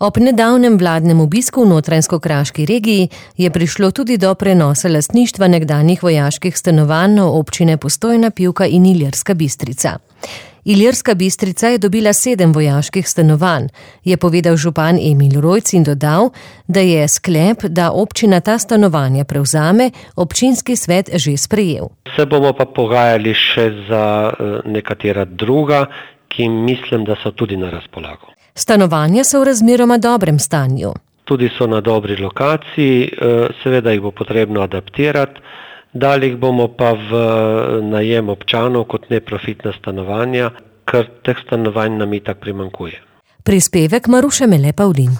Ob nedavnem vladnem obisku v Notranjsko-Kraški regiji je prišlo tudi do prenosa lastništva nekdanjih vojaških stanovanj občine Postojna, Pivka in Ilirska Bistrica. Ilirska Bistrica je dobila 7 vojaških stanovanj, je povedal župan Emil Rojc in dodal, da je sklep, da občina ta stanovanja prevzame, občinski svet že sprejel. Se bomo pa pogajali še za nekatera druga, ki mislim, da so tudi na razpolago. Stanovanja so v razmeroma dobrem stanju. Tudi so na dobri lokaciji, seveda jih bo potrebno adaptirati, dali jih bomo pa v najem občanov kot neprofitna stanovanja, ker teh stanovanj nam itak primanjkuje. Prispevek Maruše Mele Pavlin.